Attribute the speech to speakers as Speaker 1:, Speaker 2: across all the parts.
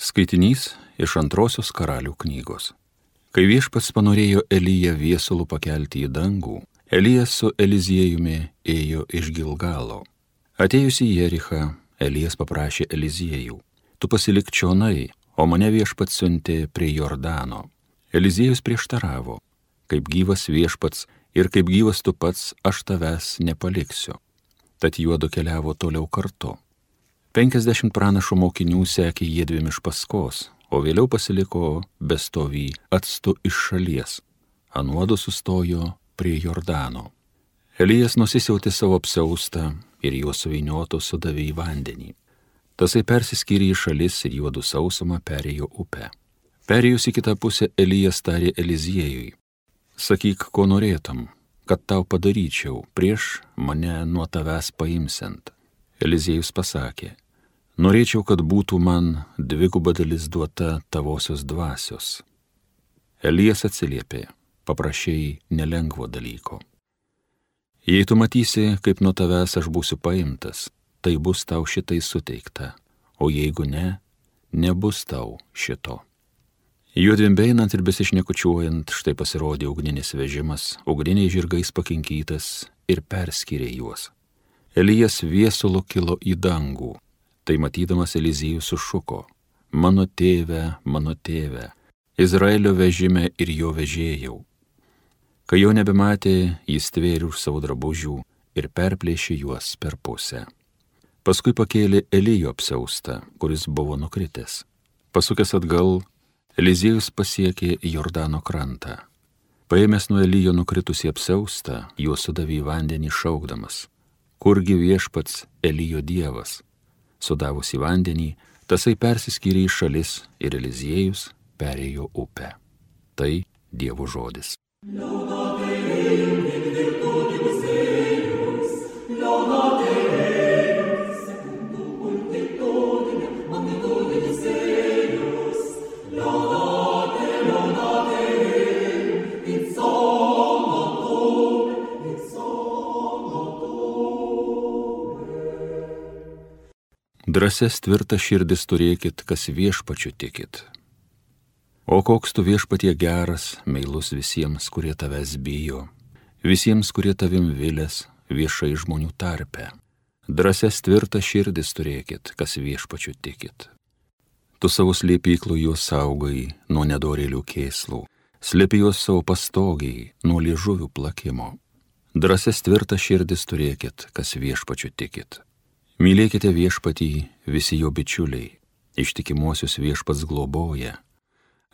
Speaker 1: Skaitinys iš Antrosios Karalių knygos. Kai Viešpats panorėjo Eliją viesulų pakelti į dangų, Elijas su Eliziejumi ėjo iš Gilgalo. Atėjus į Jerichą, Elijas paprašė Eliziejų: tu pasilik čionai, o mane Viešpats siuntė prie Jordano. Eliziejus prieštaravo: kaip gyvas Viešpats ir kaip gyvas tu pats, aš tavęs nepaliksiu. Tad juodu keliavo toliau kartu. 50 pranašų mokinių sekė jiedviem iš paskos, o vėliau pasiliko bestovį atstu iš šalies. Anuodu sustojo prie Jordano. Elijas nusisiautė savo apsiaustą ir juos suvynioto sudavė į vandenį. Tasai persiskyrė į šalis ir juodu sausumą perėjo upę. Perėjus į kitą pusę, Elijas tarė Eliziejui: sakyk, ko norėtum, kad tau padaryčiau prieš mane nuo tavęs paimsiant. Eliziejus pasakė: norėčiau, kad būtų man dviguba dalis duota tavosios dvasios. Elijas atsiliepė: paprašei nelengvo dalyko. Jei tu matysi, kaip nuo tavęs aš būsiu paimtas, tai bus tau šitai suteikta, o jeigu ne, nebus tau šito. Juodviem beinant ir besišnekučiuojant, štai pasirodė ugninis vežimas, ugniniais žirgais pakinkytas, ir perskyrė juos. Elijas viesulu kilo į dangų. Tai matydamas Elizijus sušuko: mano tėve, Izraelio vežime ir jo vežėjau. Kai jo nebematė, jis tvėrė už savo drabužių ir perplėšė juos per pusę. Paskui pakėlė Elijo apsiaustą, kuris buvo nukritęs. Pasukęs atgal, Elizijus pasiekė Jordano krantą. Paėmęs nuo Elijo nukritusį apsiaustą, juos sudavė į vandenį šaukdamas: kurgi Viešpats Elijo dievas? Sudavus į vandenį, tasai persiskyrė į šalis ir Eliziejus perėjo upę. Tai Dievo žodis. Drąsias tvirtas širdis turėkit, kas Viešpačiu tikit. O koks tu Viešpatie geras, meilus visiems, kurie tavęs bijo, visiems, kurie tavim vilės viešai žmonių tarpe. Drąsias tvirtas širdis turėkit, kas Viešpačiu tikit. Tu savo slėpyklų juos saugai nuo nedorėlių kėslų, slėpi juos savo pastogiai nuo liežuvių plakimo. Drąsias tvirtas širdis turėkit, kas Viešpačiu tikit. Mylėkite Viešpatį visi jo bičiuliai, ištikimuosius Viešpats globoja,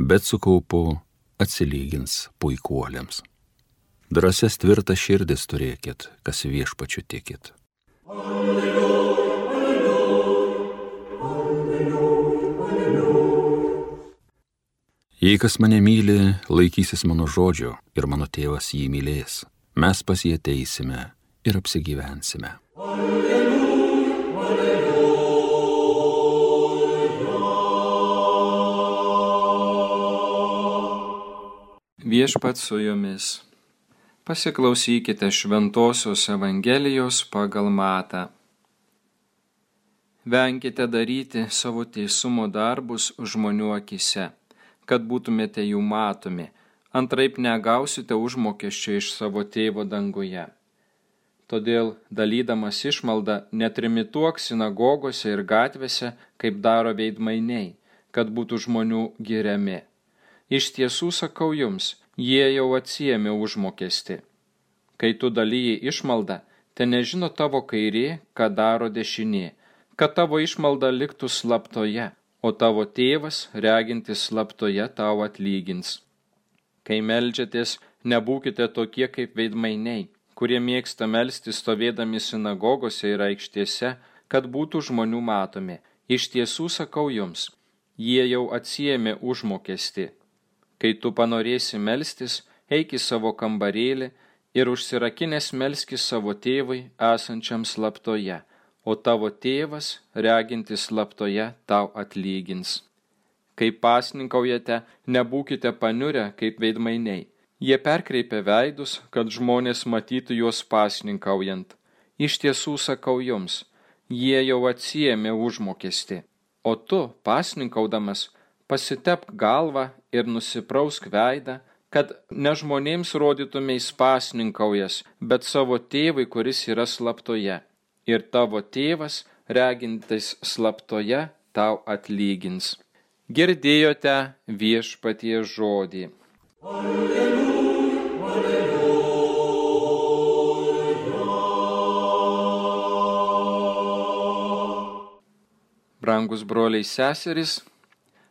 Speaker 1: bet su kaupu atsilygins puikuoliams. Drąsias tvirtas širdis turėkit, kas Viešpačiu tikit. Alleluja, alleluja, alleluja. Jei kas mane myli, laikysis mano žodžio ir mano tėvas jį mylės, mes pas jį ateisime ir apsigyvensime. Alleluja.
Speaker 2: Viešpats su jumis. Pasiklausykite Šventosios Evangelijos pagal Matą. Venkite daryti savo teisumo darbus žmonių akise, kad būtumėte jų matomi, antraip negausite užmokesčio iš savo tėvo danguje. Todėl, dalydamas išmaldą, netrimituok sinagogose ir gatvėse, kaip daro veidmainiai, kad būtų žmonių giriami. Iš tiesų sakau jums, jie jau atsiėmė užmokestį. Kai tu dalyji išmaldą, te nežino tavo kairė, ką daro dešinė, kad tavo išmalda liktų slaptoje, o tavo tėvas, regintis slaptoje, tau atlygins. Kai meldžiatės, nebūkite tokie kaip veidmainiai, kurie mėgsta melstis stovėdami sinagogose ir aikštėse, kad būtų žmonių matomi. Iš tiesų sakau jums, jie jau atsiėmė užmokestį. Kai tu panorėsi melstis, eik į savo kambarėlį ir užsirakinęs melskis savo tėvui esančiam slaptoje, o tavo tėvas, regintis slaptoje, tau atlygins. Kai pasninkaujate, nebūkite paniurę kaip veidmainiai. Jie perkreipia veidus, kad žmonės matytų juos pasninkaujant. Iš tiesų sakau jums, jie jau atsiėmė užmokestį. o tu, pasninkaudamas, pasitepk galvą ir nusiprausk veidą, kad ne žmonėms rodytumės pasninkaujas, bet savo tėvui, kuris yra slaptoje. Ir tavo tėvas, regintis slaptoje, tau atlygins. Girdėjote Viešpaties žodį. Alleluja, alleluja. Brangus broliai seserys,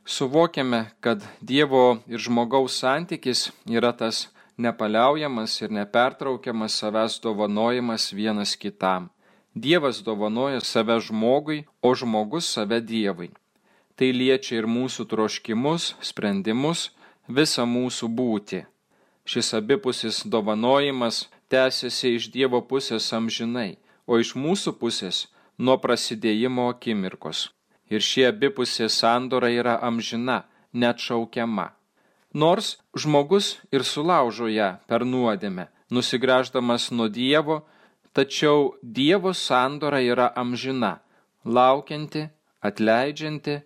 Speaker 2: suvokiame, kad Dievo ir žmogaus santykis yra tas nepaliaujamas ir nepertraukiamas savęs dovanojimas vienas kitam. Dievas dovanoja save žmogui, o žmogus save Dievui. Tai liečia ir mūsų troškimus, sprendimus, visą mūsų būtį. Šis abipusis dovanojimas tęsiasi iš Dievo pusės amžinai, o iš mūsų pusės nuo prasidėjimo akimirkos. Ir ši abipusė sandora yra amžina, neatšaukiama. Nors žmogus ir sulaužo ją per nuodėmę, nusigręždamas nuo Dievo, tačiau Dievo sandora yra amžina, laukianti, atleidžianti,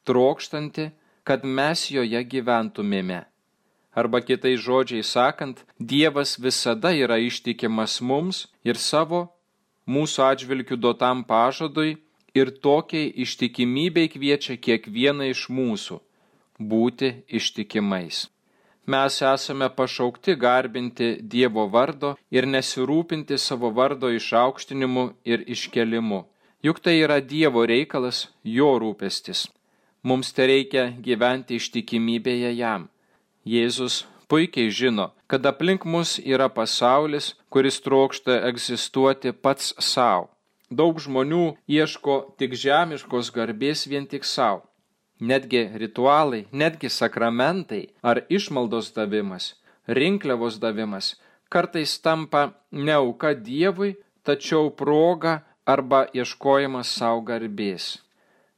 Speaker 2: trokštanti, kad mes joje gyventumėme. Arba kitais žodžiais sakant, Dievas visada yra ištikimas mums ir savo, mūsų atžvilgių duotam pažadui, ir tokiai ištikimybei kviečia kiekvieną iš mūsų būti ištikimais. Mes esame pašaukti garbinti Dievo vardo ir nesirūpinti savo vardo išaukštinimu ir iškelimu. Juk tai yra Dievo reikalas, jo rūpestis. Mums tereikia gyventi ištikimybėje jam. Jėzus puikiai žino, kad aplink mus yra pasaulis, kuris trokšta egzistuoti pats savo. Daug žmonių ieško tik žemiškos garbės vien tik savo. Netgi ritualai, netgi sakramentai ar išmaldos davimas, rinkliavos davimas kartais tampa ne auka Dievui, tačiau proga arba ieškojimas savo garbės.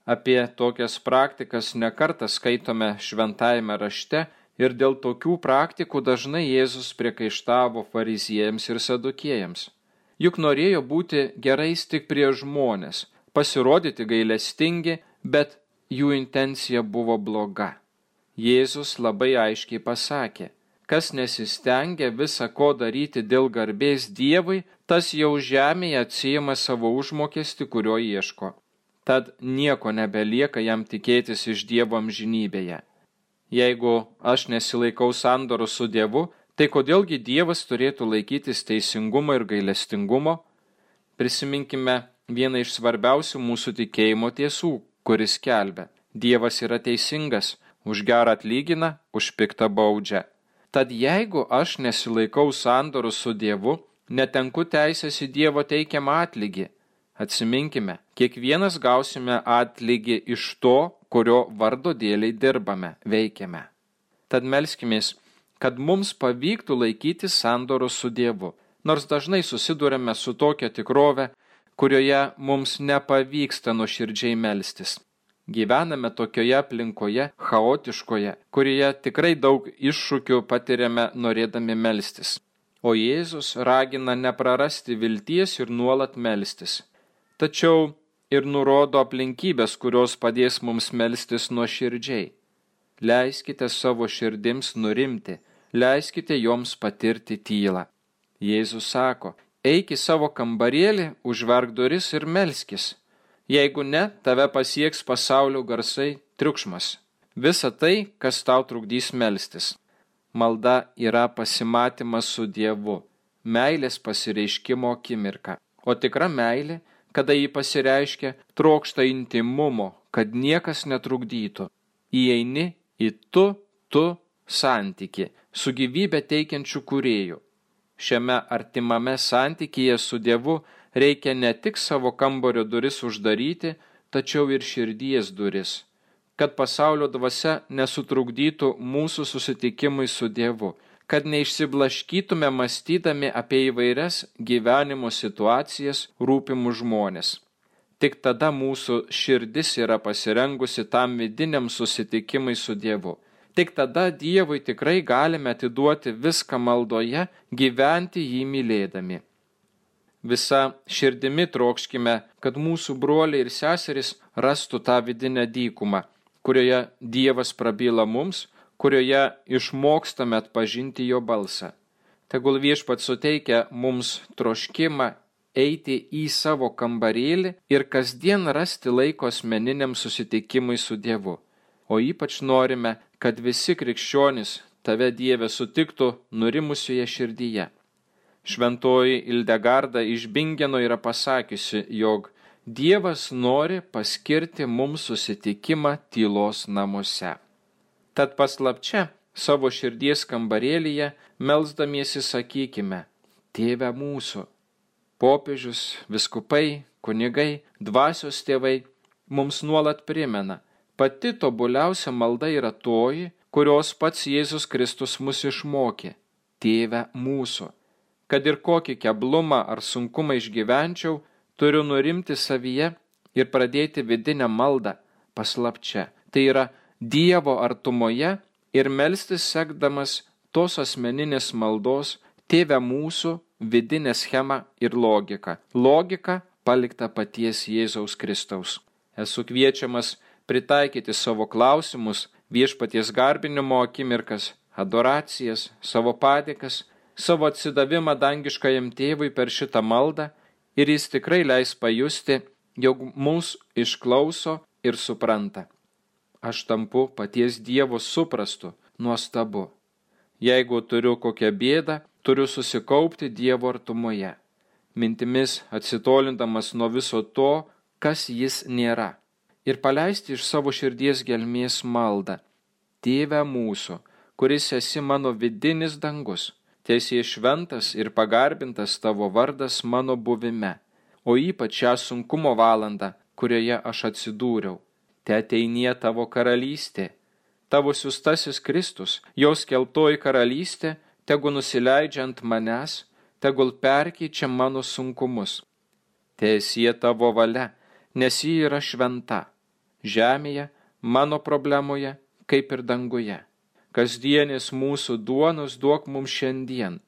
Speaker 2: Apie tokias praktikas nekartą skaitome šventajame rašte ir dėl tokių praktikų dažnai Jėzus priekaištavo fariziejams ir sadukėjams. Juk norėjo būti gerais tik prie žmonės, pasirodyti gailestingi, bet jų intencija buvo bloga. Jėzus labai aiškiai pasakė, kas nesistengia visa ko daryti dėl garbės Dievui, tas jau žemėje atsiima savo užmokestį, kurio ieško. Tad nieko nebelieka jam tikėtis iš Dievo amžinybėje. Jeigu aš nesilaikau sandoros su Dievu, tai kodėlgi Dievas turėtų laikytis teisingumo ir gailestingumo? Prisiminkime vieną iš svarbiausių mūsų tikėjimo tiesų, kuris skelbia: Dievas yra teisingas, už gerą atlygina, už piktą baudžia. Tad jeigu aš nesilaikau sandoros su Dievu, netenku teisės į Dievo teikiamą atlygį. Atsiminkime, kiekvienas gausime atlygį iš to, kurio vardo dėliai dirbame, veikiame. Tad melskimės, kad mums pavyktų laikyti sandoros su Dievu, nors dažnai susidurėme su tokia tikrove, kurioje mums nepavyksta nuoširdžiai melstis. Gyvename tokioje aplinkoje, chaotiškoje, kurioje tikrai daug iššūkių patiriame norėdami melstis. O Jėzus ragina neprarasti vilties ir nuolat melstis. Tačiau ir nurodo aplinkybės, kurios padės mums melstis nuoširdžiai. Leiskite savo širdims nurimti, leiskite joms patirti tylą. Jėzus sako: eik į savo kambarėlį, užverk duris ir melskis. Jeigu ne, tave pasieks pasaulio garsai, triukšmas. Visa tai, kas tau trukdys melstis. Malda yra pasimatymas su Dievu, meilės pasireiškimo akimirka. O tikra meilė, kada jį pasireiškia, trokšta intimumo, kad niekas netrukdytų. Įeini į tu santykį su gyvybę teikiančiu kūrėju. Šiame artimame santykyje su Dievu reikia ne tik savo kambario duris uždaryti, tačiau ir širdies duris, kad pasaulio dvasia nesutrukdytų mūsų susitikimui su Dievu, kad neišsiblaškytume mąstydami apie įvairias gyvenimo situacijas, rūpimus žmonės. Tik tada mūsų širdis yra pasirengusi tam vidiniam susitikimui su Dievu. Tik tada Dievui tikrai galime atiduoti viską maldoje, gyventi jį mylėdami. Visa širdimi trokškime, kad mūsų broliai ir seserys rastų tą vidinę dykumą, kurioje Dievas prabyla mums, kurioje išmokstame atpažinti jo balsą. Tegul Viešpats suteikia mums troškimą eiti į savo kambarėlį ir kasdien rasti laiko asmeniniam susitikimui su Dievu. O ypač norime, kad visi krikščionys tave, Dieve, sutiktų nurimusioje širdyje. Šventoji Ildegarda iš Bingeno yra pasakiusi, jog Dievas nori paskirti mums susitikimą tylos namuose. Tad paslapčia savo širdies kambarėlyje melsdamiesi sakykime: Tėve mūsų. Popiežius, vyskupai, kunigai, dvasios tėvai mums nuolat primena, pati tobuliausia malda yra toji, kurios pats Jėzus Kristus mus išmokė: Tėve mūsų. Kad ir kokį keblumą ar sunkumą išgyvenčiau, turiu nurimti savyje ir pradėti vidinę maldą paslapčia. Tai yra Dievo artumoje ir melstis sekdamas tos asmeninės maldos Tėve mūsų vidinę schemą ir logiką. Logika palikta paties Jėzaus Kristaus. Esu kviečiamas pritaikyti savo klausimus, viešpaties garbinimo akimirkas, adoracijas, savo padėkas, savo atsidavimą dangiškajam tėvui per šitą maldą ir jis tikrai leis pajusti, jog mus išklauso ir supranta. Aš tampu paties Dievo suprastu, nuostabu. Jeigu turiu kokią bėdą, turiu susikaupti Dievo artumoje, mintimis atsitolindamas nuo viso to, kas jis nėra, ir paleisti iš savo širdies gelmės maldą: Tėve mūsų, kuris esi mano vidinis dangus, teesie šventas ir pagarbintas tavo vardas mano buvime, o ypač šią sunkumo valandą, kurioje aš atsidūriau. Te ateinie tavo karalystė, tavo siųstasis Kristus, jos keltoji karalystė, tegu nusileidžia ant manęs, tegul perkeičia mano sunkumus. Teesie tavo valia, nes ji yra šventa, žemėje, mano problemoje, kaip ir danguje. Kasdienės mūsų duonos duok mums šiandien,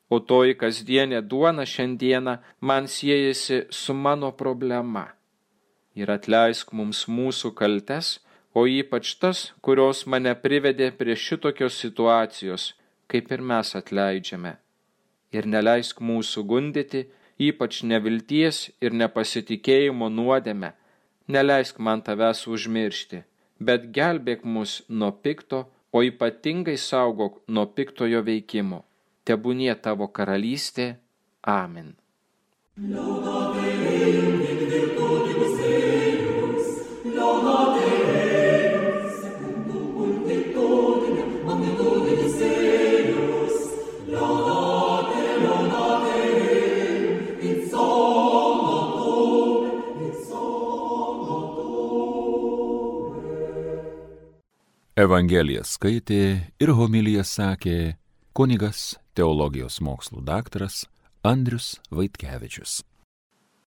Speaker 2: o toji kasdienė duona šiandieną man siejasi su mano problema. Ir atleisk mums mūsų kaltes, o ypač tas, kurios mane privedė prie šitokios situacijos, kaip ir mes atleidžiame. Ir neleisk mūsų gundyti, ypač nevilties ir nepasitikėjimo nuodėme. Neleisk man tavęs užmiršti, bet gelbėk mus nuo pikto, o ypatingai saugok nuo piktojo veikimo. Tebūnie tavo karalystė. Amen.
Speaker 1: Evangeliją skaitė ir homiliją sakė kunigas, teologijos mokslų daktaras Andrius Vaitkevičius.